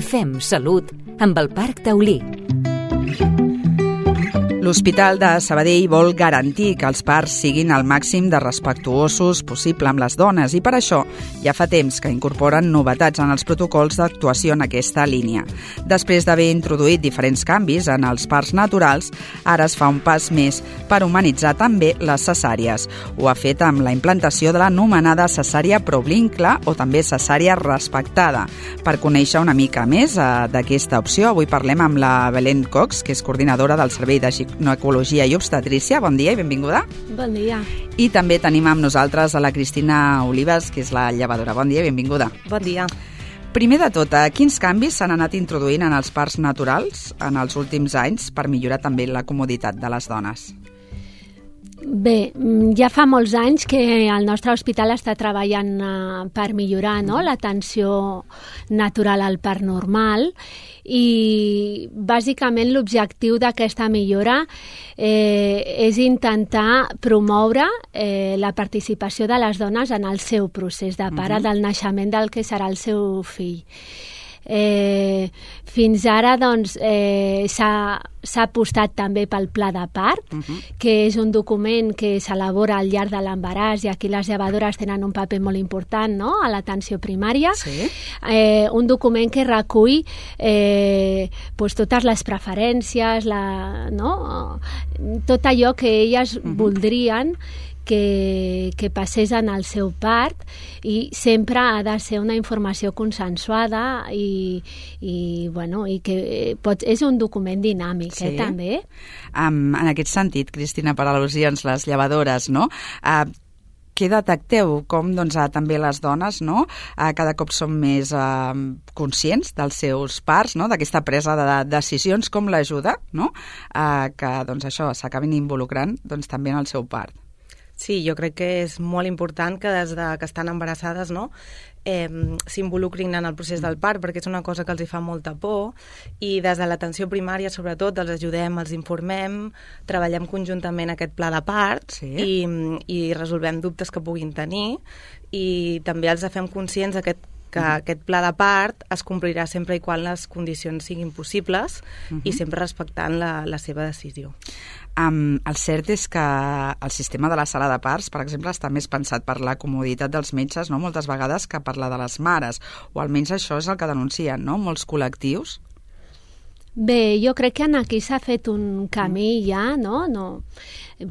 Fem Salut amb el Parc Taulí. L'Hospital de Sabadell vol garantir que els parts siguin al màxim de respectuosos possible amb les dones i per això ja fa temps que incorporen novetats en els protocols d'actuació en aquesta línia. Després d'haver introduït diferents canvis en els parts naturals, ara es fa un pas més per humanitzar també les cesàries. Ho ha fet amb la implantació de l'anomenada cesària provincle o també cesària respectada. Per conèixer una mica més d'aquesta opció, avui parlem amb la Belén Cox, que és coordinadora del Servei de Ginecologia i Obstetrícia. Bon dia i benvinguda. Bon dia. I també tenim amb nosaltres a la Cristina Olives, que és la llevadora. Bon dia i benvinguda. Bon dia. Primer de tot, quins canvis s'han anat introduint en els parts naturals en els últims anys per millorar també la comoditat de les dones? Bé, ja fa molts anys que el nostre hospital està treballant per millorar l'atenció natural al part normal i bàsicament l'objectiu d'aquesta millora és intentar promoure la participació de les dones en el seu procés de part del naixement del que serà el seu fill. Fins ara doncs, s'ha apostat també pel pla de part, que és un document que s'elabora al llarg de l'embaràs i aquí les llevadores tenen un paper molt important, no?, a l'atenció primària. Sí. Un document que recull totes les preferències, tot allò que elles voldrien que passés en el seu part i sempre ha de ser una informació consensuada i que és un document dinàmic, sí. També. En aquest sentit, Cristina, per al·lusions, les llevadores, no?, què detecteu? Com també les dones cada cop són més conscients dels seus parts, d'aquesta presa de decisions, com l'ajuda que això s'acabin involucrant també en el seu part? Sí, jo crec que és molt important que des que estan embarassades s'involucrin en el procés del part, perquè és una cosa que els hi fa molta por i des de l'atenció primària sobretot els ajudem, els informem, treballem conjuntament aquest pla de part, sí. i resolvem dubtes que puguin tenir i també els fem conscients que aquest pla de part es complirà sempre i quan les condicions siguin possibles i sempre respectant la seva decisió. El cert és que el sistema de la sala de parts, per exemple, està més pensat per la comoditat dels metges, moltes vegades, que per la de les mares, o almenys això és el que denuncien, molts col·lectius. Bé, jo crec que aquí s'ha fet un camí ja, no?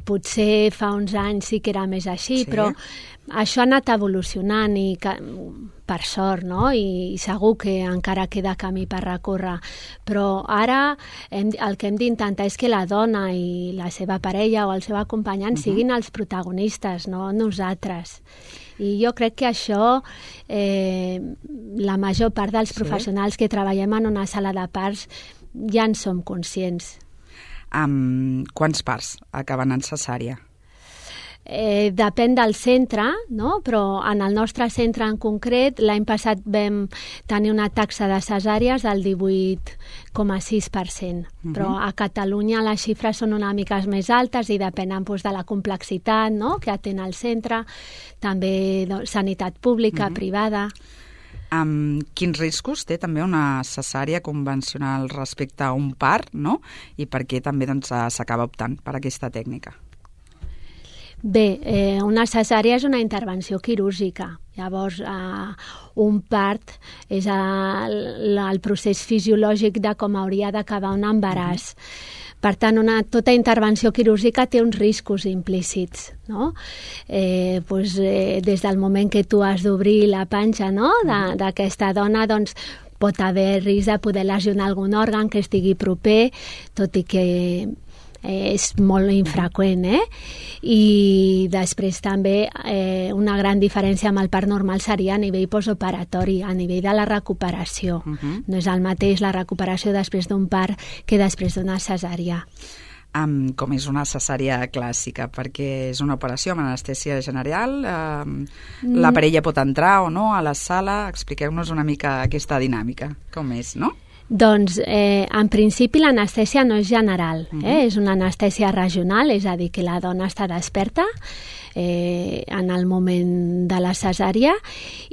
Potser fa uns anys sí que era més així, sí. Però això ha anat evolucionant i per sort, i segur que encara queda camí per recórrer. Però ara el que hem d'intentar és que la dona i la seva parella o el seu acompanyant siguin els protagonistes, no nosaltres. I jo crec que això la major part dels professionals que treballem en una sala de parts ja en som conscients. Quants parts acaben en cesària? Depèn del centre, però en el nostre centre en concret l'any passat vam tenir una taxa de cesàries del 18,6%, però a Catalunya les xifres són una mica més altes i depenen de la complexitat que atén el centre, també sanitat pública, privada. Quins riscos té també una cesària convencional respecte a un part, i per què també s'acaba optant per aquesta tècnica? Bé, una cesària és una intervenció quirúrgica. Llavors, un part és el procés fisiològic de com hauria d'acabar un embaràs. Per tant, tota intervenció quirúrgica té uns riscos implícits, des del moment que tu has d'obrir la panxa d'aquesta dona, doncs pot haver risc de poder lesionar algun òrgan que estigui proper, tot i que és molt infreqüent, I després també una gran diferència amb el part normal seria a nivell postoperatori, a nivell de la recuperació. No és el mateix la recuperació després d'un part que després d'una cesària. Com és una cesària clàssica, perquè és una operació amb anestèsia general, la parella pot entrar o no a la sala, expliqueu-nos una mica aquesta dinàmica, com és, no? Doncs, en principi, l'anestèsia no és general, és una anestèsia regional, és a dir, que la dona està desperta, en el moment de la cesària,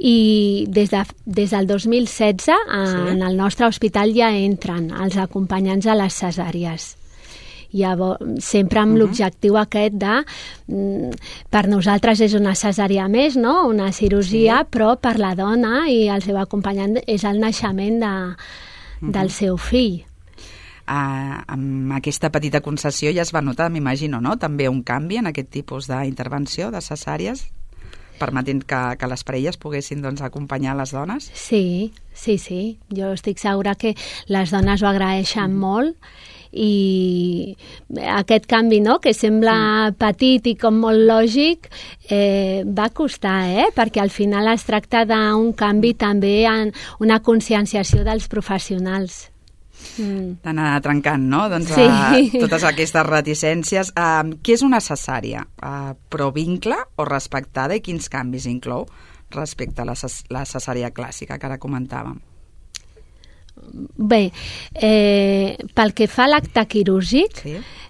i des del 2016 en el nostre hospital ja entren els acompanyants a les cesàries. Llavors, sempre amb l'objectiu aquest de, per nosaltres és una cesària més, no? Una cirurgia, però per la dona i el seu acompanyant és el naixement del seu fill. Amb aquesta petita concessió ja es va notar, m'imagino, no? També un canvi en aquest tipus d'intervenció de cesàries, permetent que les parelles poguessin acompanyar les dones? Sí. Jo estic segura que les dones ho agraeixen molt, i aquest canvi, no?, que sembla petit i com molt lògic, va costar, perquè al final es tracta d'un canvi també en una conscienciació dels professionals. D'anar trencant, no?, totes aquestes reticències. Què és una cesària? Provincle o respectada, i quins canvis inclou respecte a la cesària clàssica que ara comentàvem? Bé, pel que fa a l'acte quirúrgic,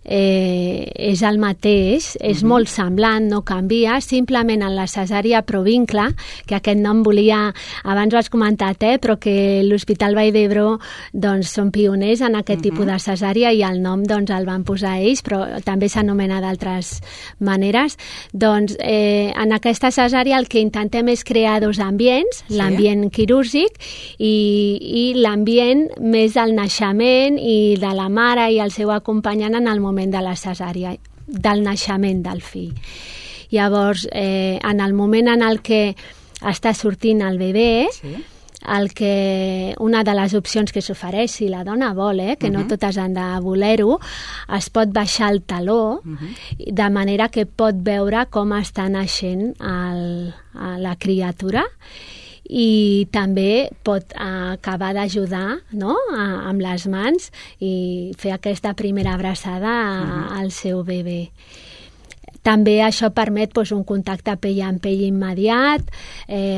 és el mateix, és molt semblant, no canvia, simplement en la cesària provincle, que aquest nom abans ho has comentat, però que l'Hospital Vall d'Hebron són pioners en aquest tipus de cesària, i el nom el van posar ells, però també s'anomena d'altres maneres. En aquesta cesària el que intentem és crear dos ambients, l'ambient quirúrgic i l'ambient més del naixement i de la mare i el seu acompanyant en el moment de la cesària, del naixement del fill. Llavors, en el moment en el que està sortint el bebè, una de les opcions que s'ofereix, si la dona vol, que no totes han de voler-ho, es pot baixar el taló, de manera que pot veure com està naixent la criatura, i també pot acabar d'ajudar, no?, amb les mans i fer aquesta primera abraçada al seu bebè. També això permet un contacte pell amb pell immediat,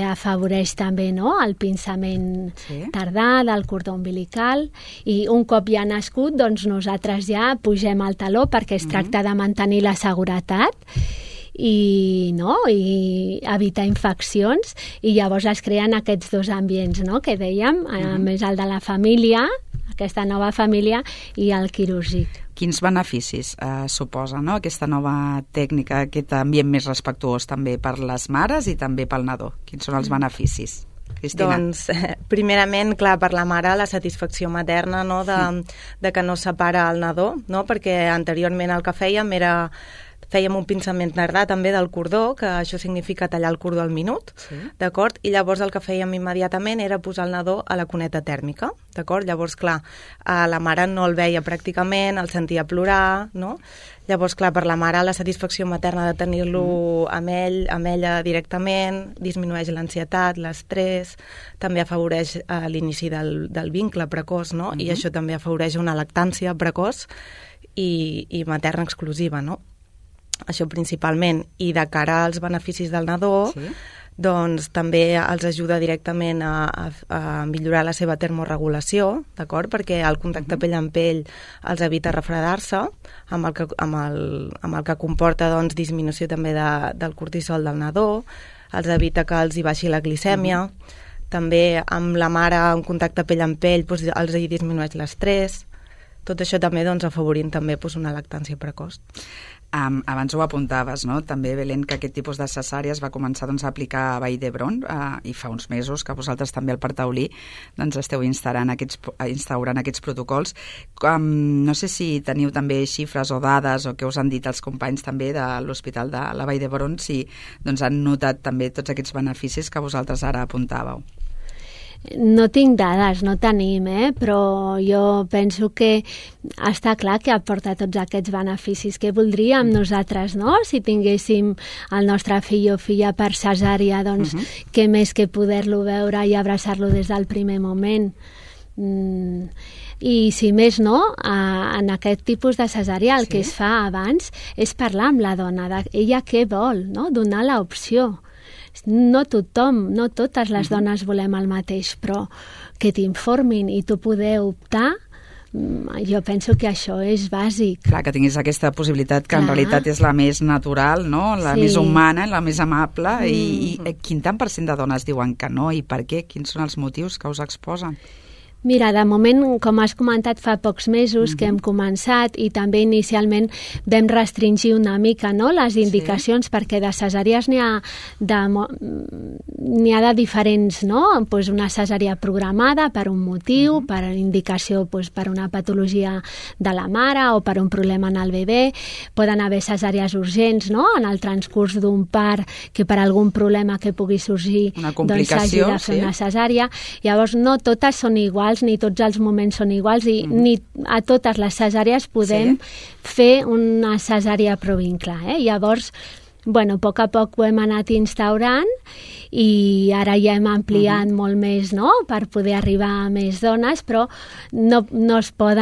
afavoreix també, no?, el pinçament tardà del cordó umbilical, i un cop ja nascut, nosaltres ja pugem el taló perquè es tracta de mantenir la seguretat i evitar infeccions, i llavors es creen aquests dos ambients, no?, que dèiem, a més el de la família, aquesta nova família, i el quirúrgic. Quins beneficis suposa, no?, aquesta nova tècnica, aquest ambient més respectuós també per les mares i també pel nadó? Quins són els beneficis, Cristina? Primerament, clar, per la mare, la satisfacció materna, no?, de que no separa el nadó, no?, perquè anteriorment el que fèiem un pinçament tardà també del cordó, que això significa tallar el cordó al minut, d'acord? I llavors el que fèiem immediatament era posar el nadó a la cuneta tèrmica, d'acord? Llavors, clar, la mare no el veia pràcticament, el sentia plorar, no? Llavors, clar, per la mare la satisfacció materna de tenir-lo amb ella directament, disminueix l'ansietat, l'estrès, també afavoreix l'inici del vincle precoç, no? I això també afavoreix una lactància precoç i materna exclusiva, no? Això principalment. I de cara als beneficis del nadó, doncs també els ajuda directament a millorar la seva termorregulació, d'acord? Perquè el contacte pell amb pell els evita refredar-se, amb el que comporta disminució també del cortisol del nadó, els evita que els hi baixi la glicèmia, també amb la mare en contacte pell amb pell els hi disminueix l'estrès. Tot això també afavorint també una lactància precoç. Abans ho apuntaves, no?, també, Belén, que aquest tipus de cesàries va començar a aplicar a Vall d'Hebron i fa uns mesos que vosaltres també al Parc Taulí esteu instaurant aquests protocols. No sé si teniu també xifres o dades o què us han dit els companys també de l'Hospital de la Vall d'Hebron, si han notat també tots aquests beneficis que vosaltres ara apuntàveu. No tinc dades, no tenim, però jo penso que està clar que aporta tots aquests beneficis que voldríem nosaltres, no? Si tinguéssim el nostre fill o filla per cesària, doncs què més que poder-lo veure i abraçar-lo des del primer moment. I si més no, en aquest tipus de cesària el que es fa abans és parlar amb la dona, ella què vol, no? Donar l'opció. No tothom, no totes les dones volem el mateix, però que t'informin i tu poder optar jo penso que això és bàsic. Clar, que tinguis aquesta possibilitat que en realitat és la més natural, no? La més humana, la més amable, i quin tant % de dones diuen que no, i per què? Quins són els motius que us exposen? Mira, de moment, com has comentat, fa pocs mesos que hem començat, i també inicialment vam restringir una mica, no?, les indicacions, perquè de cesàries n'hi ha de diferents, no? Pues una cesària programada per un motiu, per indicació, pues, per una patologia de la mare o per un problema en el bebè. Poden haver cesàries urgents, no?, en el transcurs d'un part, que per algun problema que pugui sorgir doncs s'hagi de fer una cesària. Llavors, no totes són iguals, ni tots els moments són iguals, i ni a totes les cesàries podem fer una cesària provincla. Llavors, bueno, a poc a poc ho hem anat instaurant, i ara ja hem ampliat molt més, no?, per poder arribar a més dones, però no es pot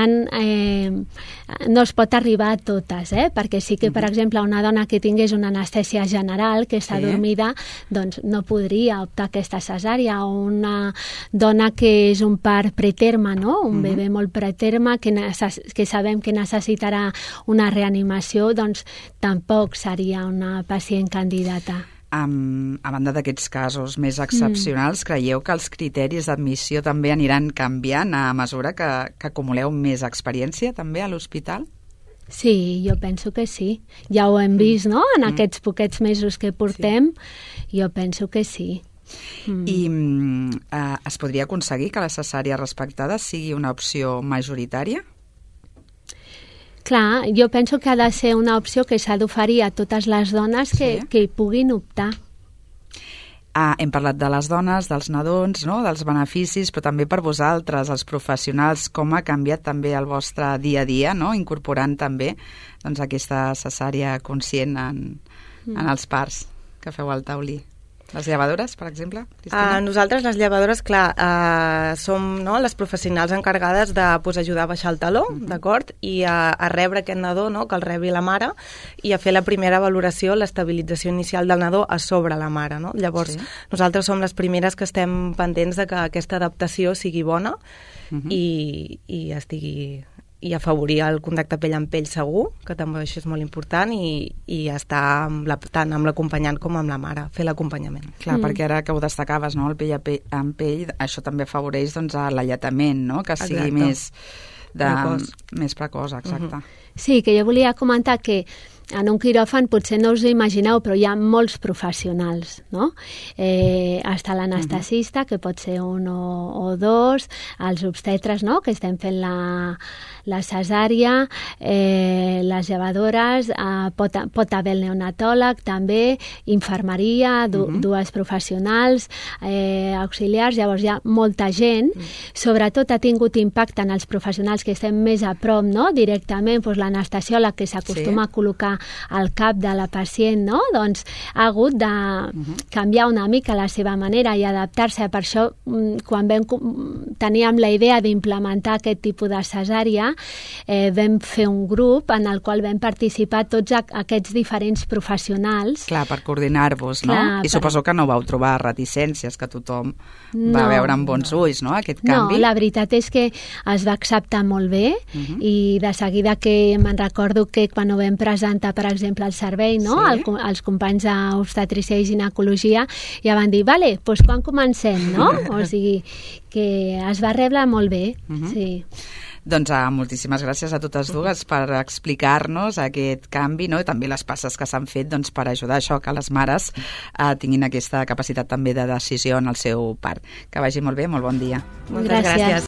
arribar a totes, perquè sí que, per exemple, una dona que tingués una anestèsia general, que està dormida, doncs no podria optar a aquesta cesària, o una dona que és un part preterme, no?, un bebè molt preterme, que sabem que necessitarà una reanimació, doncs tampoc seria una pacient candidata. A banda d'aquests casos més excepcionals, creieu que els criteris d'admissió també aniran canviant a mesura que acumuleu més experiència també a l'hospital? Sí, jo penso que sí. Ja ho hem vist, no?, en aquests poquets mesos que portem, jo penso que sí. I es podria aconseguir que la cesària respectada sigui una opció majoritària? Clar, jo penso que ha de ser una opció que s'ha d'oferir a totes les dones que hi puguin optar. Hem parlat de les dones, dels nadons, no?, dels beneficis, però també per vosaltres, els professionals, com ha canviat també el vostre dia a dia, no?, incorporant també doncs, aquesta cesària conscient en els parts que feu al taulí. Les llevadores, per exemple, Cristina? Nosaltres, les llevadores, clar, som, no, les professionals encarregades de ajudar a baixar el taló, d'acord? I a rebre aquest nadó, no?, que el rebi la mare, i a fer la primera valoració, l'estabilització inicial del nadó a sobre la mare, no? Llavors, nosaltres som les primeres que estem pendents de que aquesta adaptació sigui bona i estigui... i afavorir el contacte pell amb pell segur, que també això és molt important, i estar tant amb l'acompanyant com amb la mare, fer l'acompanyament. Clar, perquè ara que ho destacaves, no?, el pell amb pell, això també afavoreix doncs, l'alletament, no?, que sigui més precoç, exacte. Sí, que jo volia comentar que en un quiròfan potser no us ho imagineu, però hi ha molts professionals, no? Està l'anestesista, que pot ser un o dos, els obstetres, no?, que estem fent la cesària, les llevadores, pot haver el neonatòleg també, infermeria, dues professionals, auxiliars. Llavors hi ha molta gent. Sobretot ha tingut impacte en els professionals que estem més a prop, no?, directament, doncs l'anestesiòleg, que s'acostuma a col·locar al cap de la pacient, no?, doncs ha hagut de canviar una mica la seva manera i adaptar-se. Per això, quan teníem la idea d'implementar aquest tipus de cesària, vam fer un grup en el qual vam participar tots aquests diferents professionals. Clar, per coordinar-vos, no? I suposo que no vau trobar reticències, que tothom va veure amb bons ulls, no?, aquest canvi. No, la veritat és que es va acceptar molt bé, i de seguida que me'n recordo que quan ho vam presentar, per exemple, al servei, no?, els companys d'obstetrícia i ginecologia, ja van dir, vale, doncs quan comencem, no? O sigui, que es va rebre molt bé, sí. Doncs moltíssimes gràcies a totes dues per explicar-nos aquest canvi, no?, i també les passes que s'han fet doncs, per ajudar això, que les mares tinguin aquesta capacitat també de decisió en el seu part. Que vagi molt bé, molt bon dia. Moltes gràcies.